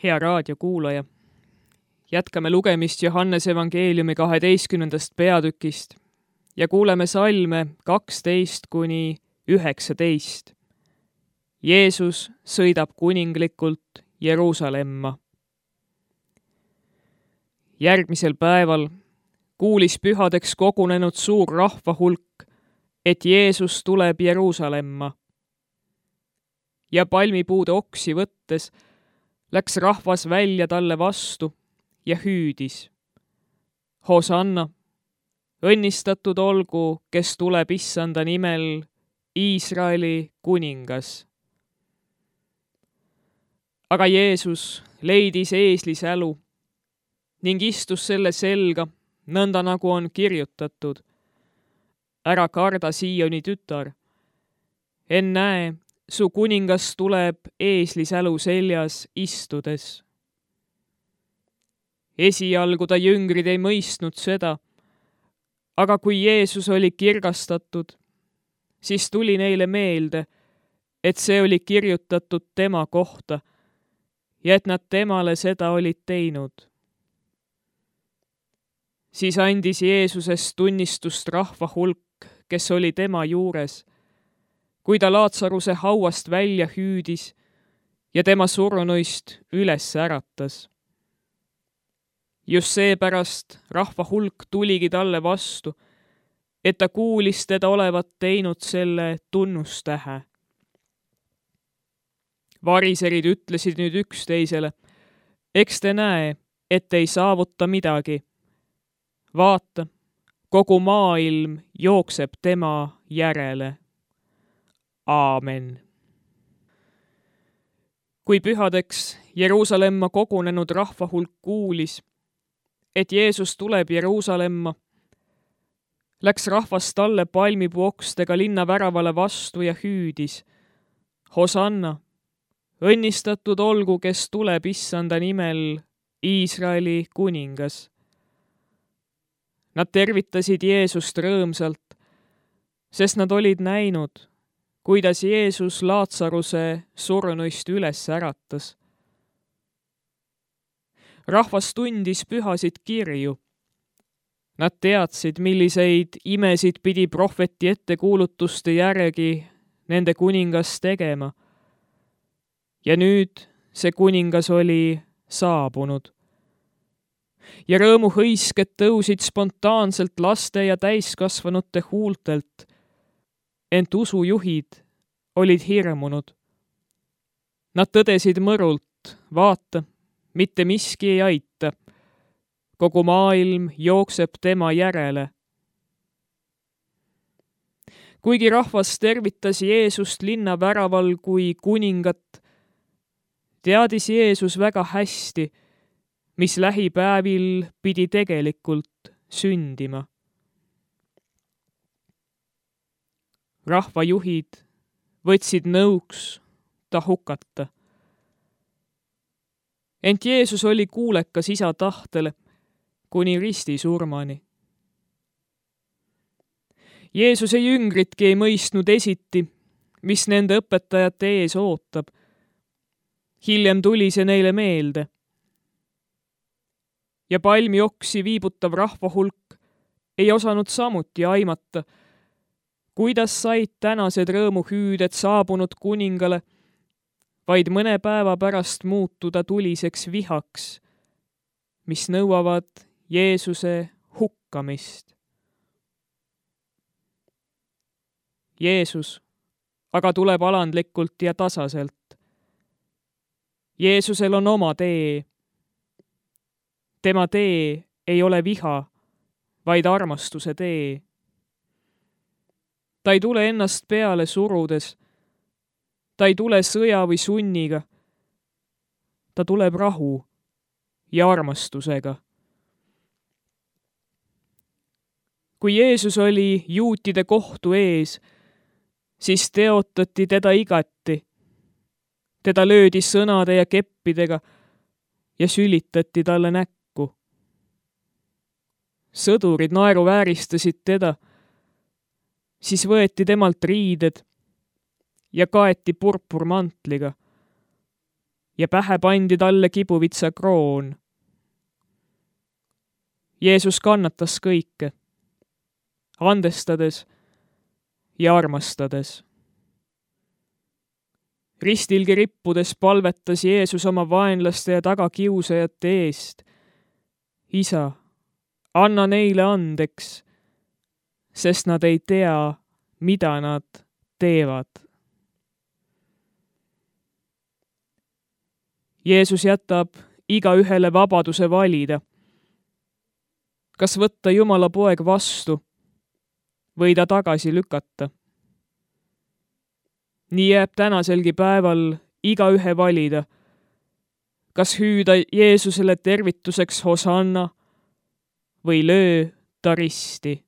Hea raadiokuulaja, jätkame lugemist Johannese evangeeliumi 12. peatükist ja kuuleme salme 12–19. Jeesus sõidab kuninglikult Jeruusalemma. Järgmisel päeval kuulis pühadeks kogunenud suur rahvahulk, et Jeesus tuleb Jeruusalemma. Ja palmipuude oksi võttes läks rahvas välja talle vastu ja hüüdis: Hosanna, õnnistatud olgu, kes tuleb Issanda nimel, Iisraeli kuningas. Aga Jeesus leidis eeslisälu ning istus selle selga, nõnda nagu on kirjutatud: ära karda, Sioni tütar, ennäe, su kuningas tuleb eeslisälu seljas istudes. Esialgu ta jüngrid ei mõistnud seda, aga kui Jeesus oli kirgastatud, siis tuli neile meelde, et see oli kirjutatud tema kohta ja et nad temale seda olid teinud. Siis andis Jeesusest tunnistust rahvahulk, kes oli tema juures, kui ta Laatsaruse hauast välja hüüdis ja tema surnuist üles äratas. Just seepärast rahvahulk tuligi talle vastu, et ta kuulis teda olevat teinud selle tunnustähe. Variserid ütlesid nüüd üksteisele: eks te näe, et ei saavuta midagi. Vaata, kogu maailm jookseb tema järele. Aamen. Kui pühadeks Jeruusalemma kogunenud rahvahulk kuulis, et Jeesus tuleb Jeruusalemma, läks rahvas talle palmipuokstega linna väravale vastu ja hüüdis: Hosanna, õnnistatud olgu, kes tuleb Issanda nimel, Iisraeli kuningas. Nad tervitasid Jeesust rõõmsalt, sest nad olid näinud, kuidas Jeesus Laatsaruse surnuist üles äratas. Rahvas tundis pühasid kirju. Nad teadsid, milliseid imesid pidi prohveti ettekuulutuste järgi nende kuningas tegema. Ja nüüd see kuningas oli saabunud. Ja rõõmuhõisked tõusid spontaanselt laste ja täiskasvanute huultelt, ent usujuhid olid hirmunud. Nad tõdesid mõrult: vaata, mitte miski ei aita. Kogu maailm jookseb tema järele. Kuigi rahvas tervitas Jeesust linna väraval kui kuningat, teadis Jeesus väga hästi, mis lähipäevil pidi tegelikult sündima. Rahvajuhid võtsid nõuks ta hukata. Ent Jeesus oli kuulekas Isa tahtele kuni ristisurmani. Jeesuse jüngritki ei mõistnud esiti, mis nende õpetajate ees ootab. Hiljem tuli see neile meelde. Ja palmioksi viibutav rahvahulk ei osanud samuti aimata, kuidas said tänased rõõmuhüüded saabunud kuningale vaid mõne päeva pärast muutuda tuliseks vihaks, mis nõuavad Jeesuse hukkamist. Jeesus aga tuleb alandlikult ja tasaselt. Jeesusel on oma tee. Tema tee ei ole viha, vaid armastuse tee. Ta ei tule ennast peale surudes. Ta ei tule sõja või sunniga. Ta tuleb rahu ja armastusega. Kui Jeesus oli juutide kohtu ees, siis teotati teda igati. Teda löödi sõnade ja keppidega ja sülitati talle näkku. Sõdurid naeruvääristasid teda, siis võeti temalt riided ja kaeti purpurmantliga. ja pähe pandi talle kibuvitsa kroon. Jeesus kannatas kõike, andestades ja armastades. Ristilgi rippudes palvetas Jeesus oma vaenlaste ja tagakiusajate eest. Isa, anna neile andeks, sest nad ei tea, mida nad teevad. Jeesus jätab igaühele vabaduse valida, kas võtta Jumala poeg vastu või ta tagasi lükata. Nii jääb tänaselgi päeval igaühe valida, kas hüüda Jeesusele tervituseks Hosanna või löö ta risti.